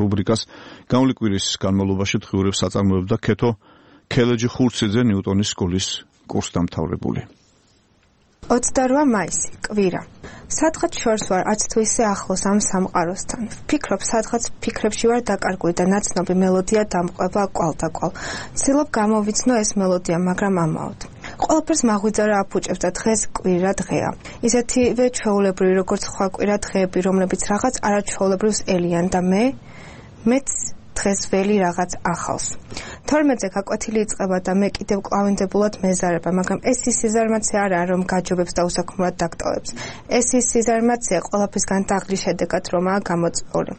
რუბრიკას გამული კვირის განმავლობაში დღიურებს აწარმოებდა ქეთო ქელეჯი ხურციძე ნიუტონის სკოლის კურსდამთავრებული. 28 მაისი, კვირა. სადღაც შორს ვარ, არც თუ ისე ახლოს ამ სამყაროსთან. ვფიქრობ, სადღაც ფიქრებში ვარ დაკარგული და ნაცნობი მელოდია დამყვება კვალ-დაკვალ. ვცდილობ გამოვიცნო ეს მელოდია, მაგრამ ამაოდ. ყველაფერს მაღვიძარა აფუჭებს და დღეს კვირა დღეა. ისეთივე ჩვეულებრივი, როგორც სხვა კვირა დღეები, რომლებიც რაღაც არაჩვეულებრივს ელიან და მეც დღეს ველი რაღაც ახალს. 12-ზე გაკვეთილი იწყება და მე კიდევ კლავინდებულად მეზარება, მაგრამ ეს ის სიზარმაცე არაა, რომ გაჯობებს და უსაქმურად დაგტოვებს. ეს ის სიზარმაცეა ყველაფრისგან დაღლის შედეგად, რომაა გამოწვეული.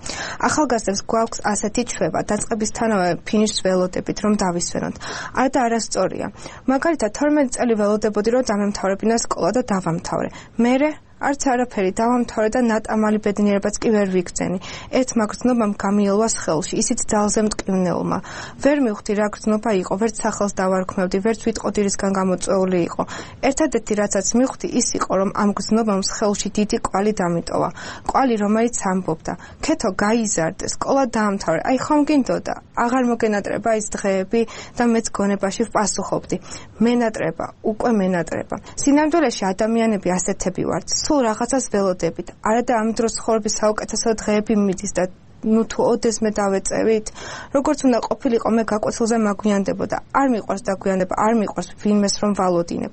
ახალგაზრდებს გვაქვს ასეთი ჩვევა, დაწყებისთანავე ფინიშს ველოდებით, რომ დავისვენოთ. არა და არასწორია. მაგალითად, 12 წელი ველოდებოდი, რომ დამემთავრებინა სკოლა და დავამთავრე. მერე არც არაფერი დავამთავრე და ნატამალი ბედნიერებაც კი ვერ ვიგრძენი. ერთმა გრძნობამ გამიელვას ხელში, ისიც ძალზე მტკივნეულმა. ვერ მივხვდი რა გრძნობა იყო, ვერც სახელს დავარქმევდი, ვერც ვიტყოდი რისგან გამოწვეული იყო. ერთადერთი რასაც მივხვდი ის იყო, რომ ამ გრძნობამ ხელში დიდი კვალი დამიტოვა. კვალი, რომელიც ამბობდა: ქეთო, გაიზარდე, სკოლა დაამთავრე. აი ხომ გინდოდა? აღარ მოგენატრება ის დღეები და მეც გონებაში ვპასუხობდი. მენატრება, უკვე მენატრება. სინამდვილეში ადამიანები ასეთები ვართ. სულ რაღაცას ველოდებით. არა და ამ დროს ცხოვრების საუკეთესო დღეები მიდის და თუ ოდესმე დავეწევით, როგორც უნდა ყოფილიყო მე გაკვეთილზე მაგვიანდებოდა. არ მიყვარს დაგვიანდება, არ მიყვარს ვინმეს რომ ვალოდინებ.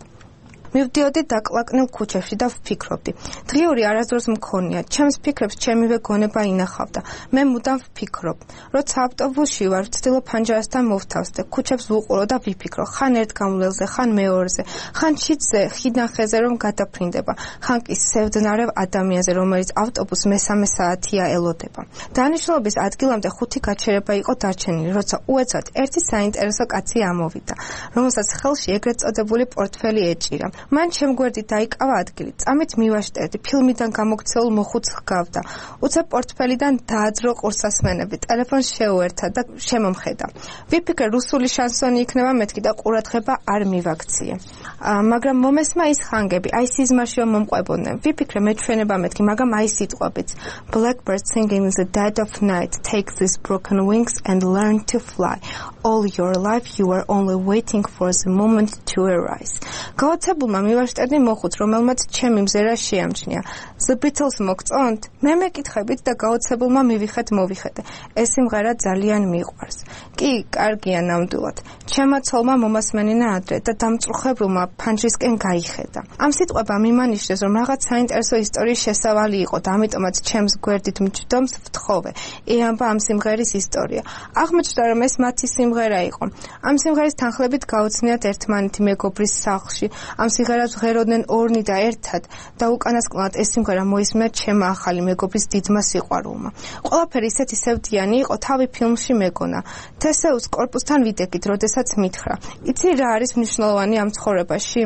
მივდიოდი დაკლაკნილ ქუჩებში და ვფიქრობდი. დღიური არასდროს მქონია, ჩემს ფიქრებს ჩემივე გონება ინახავდა. მე მუდამ ვფიქრობ. როცა ავტობუსში ვარ, ვცდილობ ფანჯარასთან მოვთავსდე, ქუჩებს ვუყურო და ვიფიქრო, ხან ერთ გამვლელზე, ხან მეორეზე, ხან შიდზე, ხიდან ხეზე რომ გადაფრინდება, ხან კი სევდნარევ ადამიანზე, რომელიც ავტობუსს მესამე საათია ელოდება. დანიშნულების ადგილამდე 5 გაჩერება იყო დარჩენილი, როცა უეცად ერთი საინტერესო კაცი ამოვიდა, რომელსაც ხელში ეგრეთ წოდებული პორტფელი ეჭირა. მან შემგვერდით დაიკავა ადგილი. წამით მივაშტერდი, ფილმიდან გამოქცეულ მოხუცს ჰგავდა. უცებ პორტფელიდან დააძრო ყურსასმენები, ტელეფონს შეუერთა და შემომხედა. ვიფიქრე, რუსული შანსონი იქნება მეთქი და ყურადღება არ მივაქციე. მაგრამ მომესმა ის ხანგები, აი სიზმარშიო მომყვებოდნენ. ვიფიქრე, მეჩვენება მეთქი, მაგრამ აი სიტყვებიც. Blackbird singing in the dead of night, take these broken wings and learn to fly. All your life you were only waiting for the moment to arise. გაოცებულმა მივაშტერდი მოხუც, რომელმაც ჩემი მზერა შეამჩნია. The Beatles მოგწონთ? მე მეკითხებით და გაოცებულმა მოვიხედე. ეს სიმღერა ძალიან მიყვარს. კი, კარგია ნამდვილად. ჩემმა ცოლმა მომასმენინა ადრე და დამწუხრებულმა ფანჯრისკენ გაიხედა. ამ სიტყვებამ იმანიშნეს, რომ რაღაც საინტერესო ისტორიის შესავალი იყო და ამიტომაც ჩემს გვერდით მჯდომს ვთხოვე. ეამბა ამ სიმღერის ისტორია. აღმოჩნდა, რომ ეს მათი სიმღერა იყო. ამ სიმღერის თანხლებით გაუცნიათ ერთმანეთი მეგობრის სახლში. ამ სიმღერას ვღეროდნენ ორნი და ერთად და უკანასკნელად ეს სიმღერა მოისმენთ ჩემმა ახალი მეგობრის დიდმა სიყვარულმა. ყველაფერი ისეთი სევდიანი იყო, თავი ფილმში მეგონა. თესეუს კორპუსთან ვიდექით, როდესაც მითხრა: იცი რა არის მნიშვნელოვანი ამ ცხოვრებაში?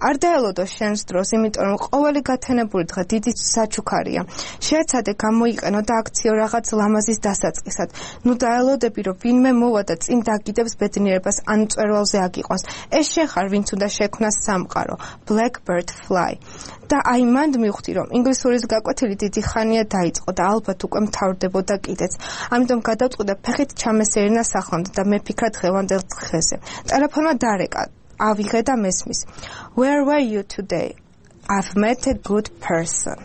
არ დაელოდო შენს დროს, იმიტომ რომ ყოველი გათენებული დღე დიდი საჩუქარია. შეეცადე გამოიყენო და აქციო რაღაც ლამაზის დასაწყისად. ნუ დაელოდები, რომ ვინმე მოვა და წინ დაგიდებს ბედნიერებას ან მწვერვალზე აგიყვანს. ეს შენ ხარ, ვინც უნდა შექმნას სამყარო. Blackbird fly. და აი მანდ მივხვდი, რომ ინგლისურის გაკვეთილი დიდი ხანია დაიწყო და ალბათ უკვე მთავრდებოდა კიდეც. ამიტომ გადავწყვიტე და ფეხით ჩამესერინა სახლამდე და მეფიქრა დღევანდელ დღეზე. ტელეფონმა დარეკა, ავიღე და მესმის. Where were you today? I've met a good person.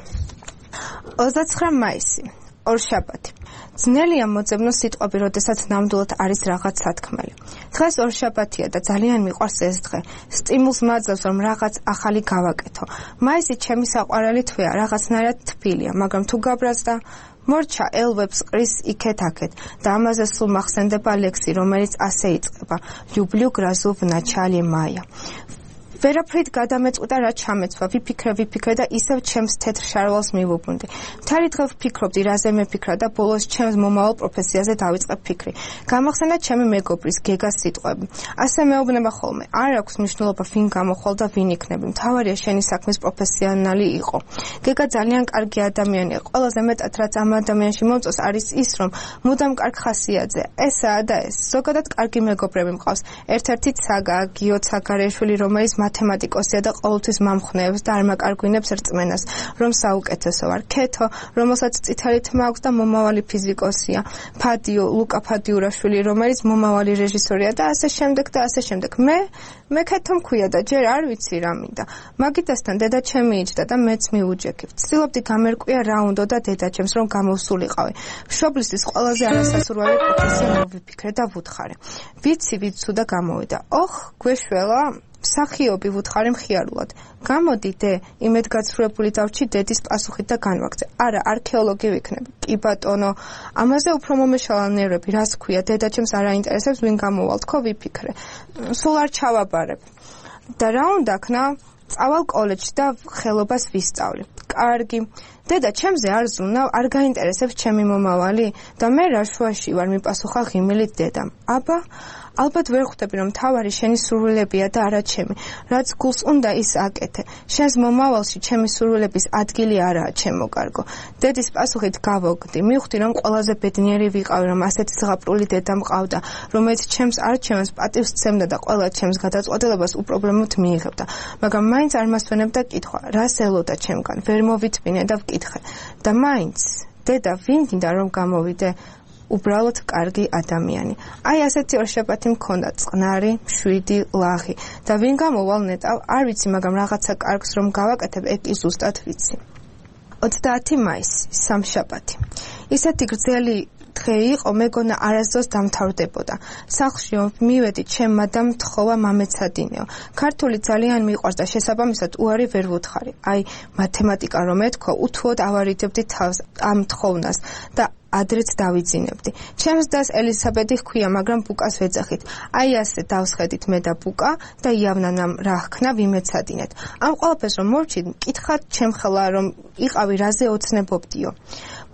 29 მაისი, ორშაბათი. ძნელია მოძებნო სიტყვები, როდესაც ნამდვილად არის რაღაც სათქმელი. დღეს ორშაბათია და ძალიან მიყვარს ეს დღე. სტიმულს მაძლევს, რომ რაღაც ახალი გავაკეთო. მაისი ჩემი საყვარელი თვეა, რაღაცნაირად თბილია, მაგრამ თუ გაბრაზდა, მორჩა ელვებს ყრის იქეთ-აქეთ და ამაზე სულ მახსენდება ლექსი, რომელიც ასე იწყება: Люблю грозу в начале мая. ვერაფრით გადამეწყვიტა რა ჩამეცვა, ვიფიქრე და ისევ ჩემს თეთრ შარვალს მივუბრუნდი. მთელი დღე ვფიქრობდი, რაზე მეფიქრა და ბოლოს ჩემს მომავალ პროფესიაზე დავიწყე ფიქრი. გამახსენდა ჩემი მეგობრის გეგას სიტყვები. ასე მეუბნება ხოლმე, არ აქვს მნიშვნელობა ვინ გამოხვალ და ვინ იქნები. მთავარია შენი საქმის პროფესიონალი იყო. გეგა ძალიან კარგი ადამიანია. ყველაზე მეტად რაც ამ ადამიანში მომწონს არის ის, რომ მუდამ კარგ ხასიათზე. ესაა და ეს. ზოგადად კარგი მეგობრები მყავს. ერთ-ერთი ცაგა, გიო ცაგარეშვილი, რომელიც მათემატიკოსია და ყოველთვის მომხნევს და არ მაკარგვინებს რწმენას, რომ საუკეთესო ვარ. ქეთო, რომელსაც წითელი თმა აქვს და მომავალი ფიზიკოსია. ფადიო, ლუკა ფადიურაშვილი, რომელიც მომავალი რეჟისორია და ასე შემდეგ და ასე შემდეგ. მე ქეთო მქვია და ჯერ არ ვიცი რა მინდა. მაგიტასთან დედა ჩემი იჯდა და მეც მიუჯექი. ვცდილობდი გამერკვია რა უნდა და დედაჩემს რომ გამოვსულიყავი. მშობლისთვის ყველაზე არასასურველი პროფესია მოვიფიქრე და ვუთხარე. ვიცი თუ და გამოვიდა. ოხ, გვეშველა? მსახიობი ვუთხარი მხიარულად. გამოდი დე, იმედგაცრუებული დავრჩი დედის პასუხით და განვაგრძე. არა, არქეოლოგი ვიქნები. კი ბატონო, ამაზე უფრო მომეშალა ნერვები, რას ქვია, დედაჩემს არ აინტერესებს ვინ გამოვალ, თქო ვიფიქრე. სულ არ ჩავაბარებ. და რა უნდა ქნა? წავალ კოლეჯში და ხელობას ვისწავლი. კარგი. დედა ჩემზე არ ზრუნავ, არ გაინტერესებს ჩემი მომავალი და მე რა შუაში ვარ, მიპასუხა ღიმილით დედამ. აბა, ალბათ ვერ ხვდები რომ თავარი შენი სურვილებია და არა ჩემი. რაც გულს უნდა ის აკეთე. შენს მომავალში ჩემი სურვილების ადგილი არაა ჩემო კარგო. დედის პასუხით გავოგდი. მივხვდი რომ ყველაზე ბედნიერი ვიყავი, რომ ასეთი ზღაპრული დედა მყავდა, რომელიც ჩემს არჩევანს პატივს სცემდა და ყველა ჩემს გადაწყვეტილებას უპრობლემოდ მიიღებდა. მაგრამ მაინც არ მასვენებდა კითხვა, რას ელოდა ჩემგან, ვერ მოვიწმინე და ვკითხე. და მაინც დედა ვინ გინდა რომ გამოვიდე? უბრალოდ კარგი ადამიანი. აი ასეთი ორშაბათი მქონდა, წყნარი, მშვიდი, ლაღი. და ვინ გამოვალ ნეტავ, არ ვიცი, მაგრამ რაღაცა კარგს რომ გავაკეთებ, ეგ კი ზუსტად ვიცი. 30 მაისი, სამშაბათი. ისეთი გრძელი დღე იყო, მეგონა არასდროს დამთავრდებოდა. სახლში მივედი, ჩემმა და მთხოვა მამეცადინეო. ქართული ძალიან მიყვარს და შესაბამისად უარი ვერ ვუთხარი. აი, მათემატიკა რომ ეთქვა, უთუოდ ავარიდებდი თავს ამ თხოვნას და ადრეც დავიძინებდი. ჩემს დას ელისაბედი ჰქვია, მაგრამ ბუკას ვეძახით. აი ასე დავსხედით მე და ბუკა და იავნანამ რა ჰქნა ვიმეცადინეთ. ამ ყველაფერს რომ მორჩით, მკითხათ ჩემხელა რომ იყავი რაზე ოცნებობდიო.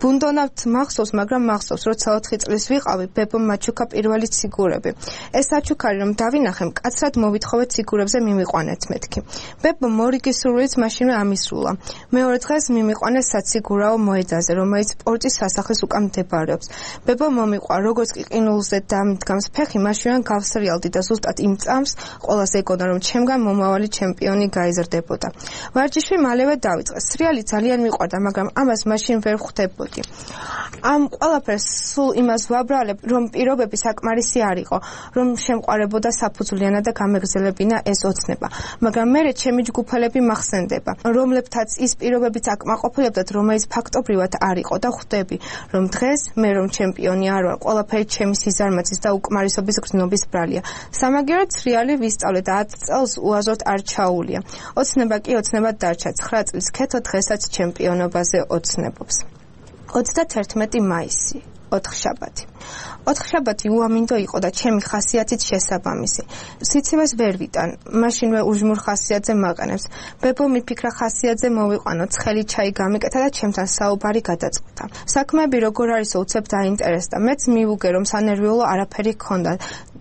ბუნდონავთ მახსოვს, მაგრამ მახსოვს, როცა 4 წლის ვიყავი, ბებო მაჩუქა პირველი ციგურები. ეს საჩუქარი რომ დავინახე, მკაცრად მოვითხოვე ციგურებზე მიმიყვანეთ მეთქი. ბებო მორიგი სურვილით მაშინვე ამისრულა. მეორე დღეს მიმიყვანეს საციგურაო მოედაზე, რომელიც პორტის სასახლის უკან მდებარეობს. ბებო მომიყვა, როგორც კი ყინულზე დამდგამს ფეხი, მაშინვე გავსრიალდი და ზუსტად იმ წამს ყველას ეგონა, რომ ჩემგან მომავალი ჩემპიონი გაიზრდებოდა. ვარჯიში მალევე დავიწყე. სრიალი ძალიან მიყვარდა, მაგრამ ამას მაშინ ვერ ხვდებოდი. ამ ყველაფერს სულ იმას ვაბრალებ, რომ პირობები საკმარისი არ იყო, რომ შემყარებოდა საფუძვლიანად და გამეგრძელებინა ეს ოცნება. მაგრამ მერე ჩემი ჯგუფელები მახსენდება, რომლებთაც ის პირობებიც აკმაყოფილებდათ, რომელიც ფაქტობრივად არ იყო და ხვდები, რომ დღეს მე რომ ჩემპიონი არ ვარ, ყველაფერი ჩემი სიზარმაცის და უკმარისობის გრძნობის ბრალია. სამაგიეროდ სრიალი ვისწავლე და 10 წელს უაზროდ არ ჩაუვლია. ოცნება კი ოცნებად დარჩა. 9 წლის ქეთო დღესაც ჩემპიონობაზე ოცნებობს. 31 მაისი, ოთხშაბათი. ოთხშაბათი უამინდო იყო და ჩემი ხასიათით შესაბამისი. სიცივეს ვერ ვიტან, მაშინვე უჟმურ ხასიათზე მაყენებს. ბებო მიფიქრა ხასიათზე მოვიყვანო, ცხელი ჩაი გამიკეთა და ჩემთან საუბარი გადაწყვეტა. საქმეები როგორ არისო უცებ დაინტერესდა. მეც მივუგე რომ სანერვიულო არაფერი ჰქონდა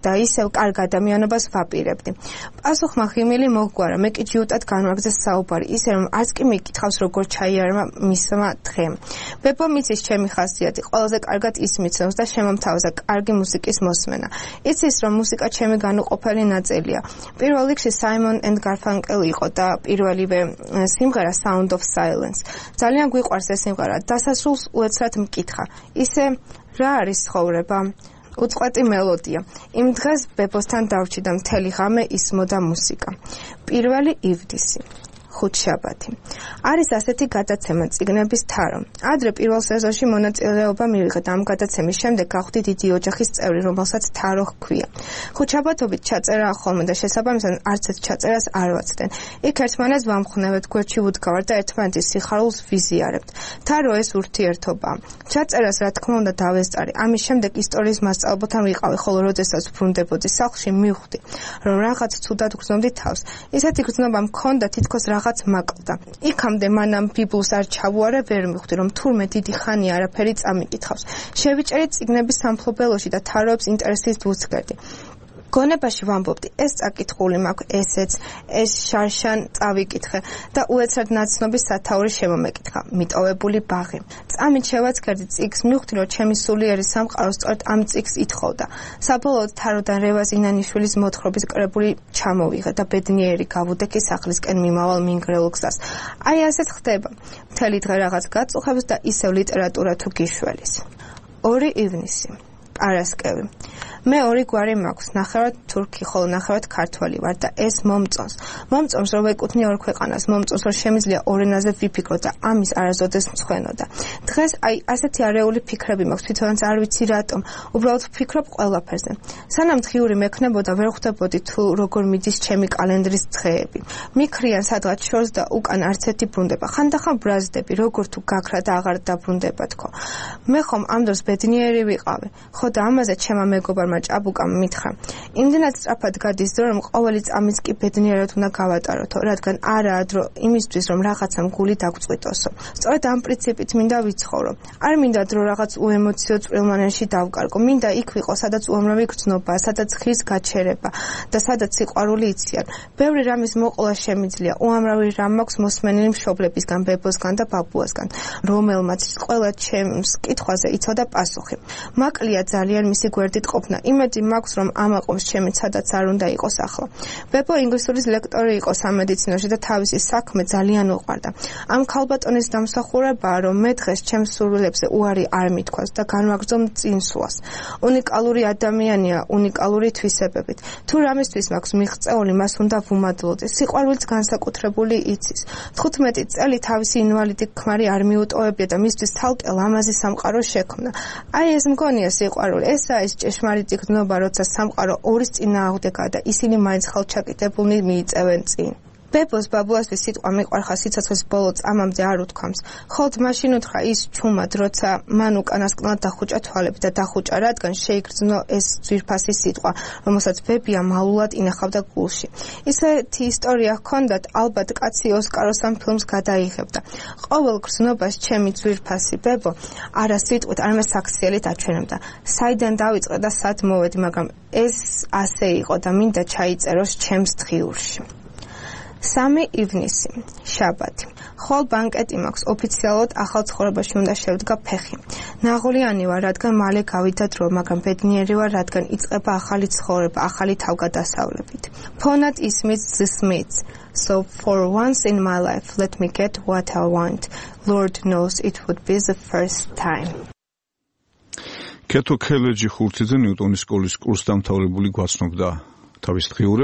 და ისევ კარგ ადამიანობას ვაპირებდი. პასუხმა ღიმილი მოგვარა, მე კი ჯიუტად განვაგრძეს საუბარი, ისე რომ არც კი მიკითხავს როგორ ჩაიარმა მისმა დღემ. ბებო მიცის ჩემი ხასიათი, ყველაზე კარგად ის მიცნობს და შემომთავაზა კარგი მუსიკის მოსმენა. იცის რომ მუსიკა ჩემი განუყოფელი ნაწილია. პირველ რიგში Simon and Garfunkel იყო და პირველივე სიმღერა Sound of Silence. ძალიან გვიყვარს ეს სიმღერა. დასასრულს უეცრად მკითხა. ისე რა არის ცხოვრება? უწყვეტი მელოდია. იმ დღეს ბებოსთან დავრჩი და მთელი ღამე ისმოდა მუსიკა. 1 ივნისი. ხუთშაბათი. არის ასეთი გადაცემა წიგნების თარო. ადრე პირველ სეზონში მონაწილეობა მივიღე და ამ გადაცემის შემდეგ გავხდი დიდი ოჯახის წევრი, რომელსაც თარო ჰქვია. ხუთშაბათობით ჩაწერა ხოლმე და შესაბამისად არც ერთ ჩაწერას არ ვაცდენ. იქ ერთმანეთს ვამხნევებთ, გვერდში ვუდგავართ და ერთმანეთის სიხარულს ვიზიარებთ. თარო ეს ურთიერთობაა. ჩაწერას რა თქმა უნდა დავესწარი. ამის შემდეგ ისტორიის მასწავლებელთან ვიყავი, ხოლო როდესაც ვბრუნდებოდი სახლში მივხვდი, რომ რაღაც ცუდად გრძნობდი თავს. ისეთი გრძნობა მქონდა, თითქოს რაღაც მაკლდა. იქამდე მანამ ბიბლს არ ჩავუარე, ვერ მივხვდი, რომ თურმე დიდი ხანი არაფერი წამიკითხავს. შევიჭერი წიგნების სამფლობელოში და თაროებს ინტერესით ვუცგერდი. გონებაში ვამბობდი, ეს წაკითხული მაქვს, ესეც, ეს შარშან წავიკითხე და უეცრად ნაცნობის სათაური შემომეკითხა, მიტოვებული ბაღი. წამით შევაცქერდი წიგნს, მივხვდი, რომ ჩემი სულიერი სამყარო სწორედ ამ წიგნს ითხოვდა. საბოლოოდ თაროდან რევაზ ინანიშვილის მოთხრობის კრებული ჩამოვიღე და ბედნიერი გავუდექი სახლისკენ მიმავალ მინგრეულ გზას. აი ასეც ხდება. მთელი დღე რაღაც გაწუხებს და ისევ ლიტერატურა თუ გიშველის. 2 ივნისი. პარასკევი. მე 2 გვარი მაქვს, ნახევრად თურქი, ხოლო ნახევრად ქართველი ვარ და ეს მომწონს. მომწონს, რომ ვეკუთვნი 2 ქვეყანას, მომწონს, რომ შემიძლია 2 ენაზე ვიფიქრო და ამის არასოდეს მცხვენოდა. დღეს აი ასეთი არეული ფიქრები მაქვს, თვითონაც არ ვიცი რატომ, უბრალოდ ვფიქრობ ყველაფერზე. სანამ დღიური მექნებოდა, ვერ ხვდებოდი თუ როგორ მიდის ჩემი კალენდრის დღეები. მიქრიან სადღაც შორს და უკან არც ერთი ბრუნდება. ხანდახან ბრაზდები, როგორ თუ გაქრა და აღარ დაბრუნდება თქო. მე ხომ ამ დროს ბედნიერი ვიყავი. ხო და ამაზე ჩემმა მეგობარმა ჭაბუკამ მითხრა. იმდენად სწრაფად გადის დრო, რომ ყოველი წამიც კი ბედნიერად უნდა გავატაროთო, რადგან არაა დრო იმისთვის, რომ რაღაცამ გული დაგწყვიტოსო. სწორედ ამ პრინციპით მინდა ვიცხოვრო. არ მინდა დრო რაღაც უემოციო წვრილმანენში დავკარგო. მინდა იქ ვიყო, სადაც უამრავი გრძნობა, სადაც ღირს გაჩერება და სადაც სიყვარული იციან. ბევრი რამის მოყოლა შემიძლია. უამრავი რამ მაქვს მოსმენილი მშობლებისგან, ბებოსგან და ბაბუასგან, რომელმაც ყველა ჩემს კითხვაზე იცოდა პასუხი. მაკლია ძალიან მისი გვერდით ყოფნა. იმედი მაქვს, რომ ამაყობს ჩემი სადაც არ უნდა იყოს ახლა. ბებო ინგლისურის ლექტორი იყო სამედიცინოში და თავისი საქმე ძალიან უყვარდა. ამ ქალბატონის დამსახურებაა, რომ მე დღეს ჩემს სურვილებზე უარი არ მithქვას და განვაგრძო წინსვლას. უნიკალური ადამიანია, უნიკალური თვისებებით. თუ რამისთვის მაქვს მიღწეული, მას უნდა ვუმადლოდეს. სიყვარულიც განსაკუთრებული იცის. 15 წელი თავისი ინვალიდი ქმარი არ მიუტოვებია და მისთვის თალკე ლამაზი სამყარო შექმნა. აი ეს მგონია სიყვარული. ესაა ის ჭეშმარიტი გრძნობა, როცა სამყარო ორის წინააღმდეგაა და ისინი მაინც ხელჩაკეტებულნი მიიწევენ წინ. ბებოს ბაბუასთვის სიტყვა მიყვარხა სიცოცხლის ბოლო წამამდე არ უთქვამს. ხოლოდ მაშინ უთხრა ის ჩუმად, როცა მან უკანასკნელად დახუჭა თვალები და დახუჭა, რადგან შეიგრძნო ეს ძვირფასი სიტყვა, რომელსაც ბებია მალულად ინახავდა გულში. ისეთი ისტორია ჰქონდათ, ალბათ კაცი ოსკაროს ამ ფილმს გადაიღებდა. ყოველ გრძნობას ჩემი ძვირფასი ბებო არა სიტყვით, არამედ საქციელით აჩვენებდა. საიდან დავიწყე და სად მოვედი, მაგრამ ეს ასე იყო და მინდა ჩაიწეროს ჩემს დღიურში. 3 ივნისი, შაბათი. ხოლ ბანკეტი მაქვს, ოფიციალურად ახალ ცხოვრებაში უნდა შევდგა ფეხი. ნაღულიანი ვარ, რადგან მალე გავიდა დრო, მაგრამ ბედნიერი ვარ, რადგან იწყება ახალი ცხოვრება, ახალი თავგადასავლებით. ფონად ისმის The Smiths. So for once in my life, let me get what I want. Lord knows it would be the first time. კეთო ქელეჯი ხურციძე ნიუტონის სკოლის კურსდამთავრებული გვაცნობდა თავის დღიურებს.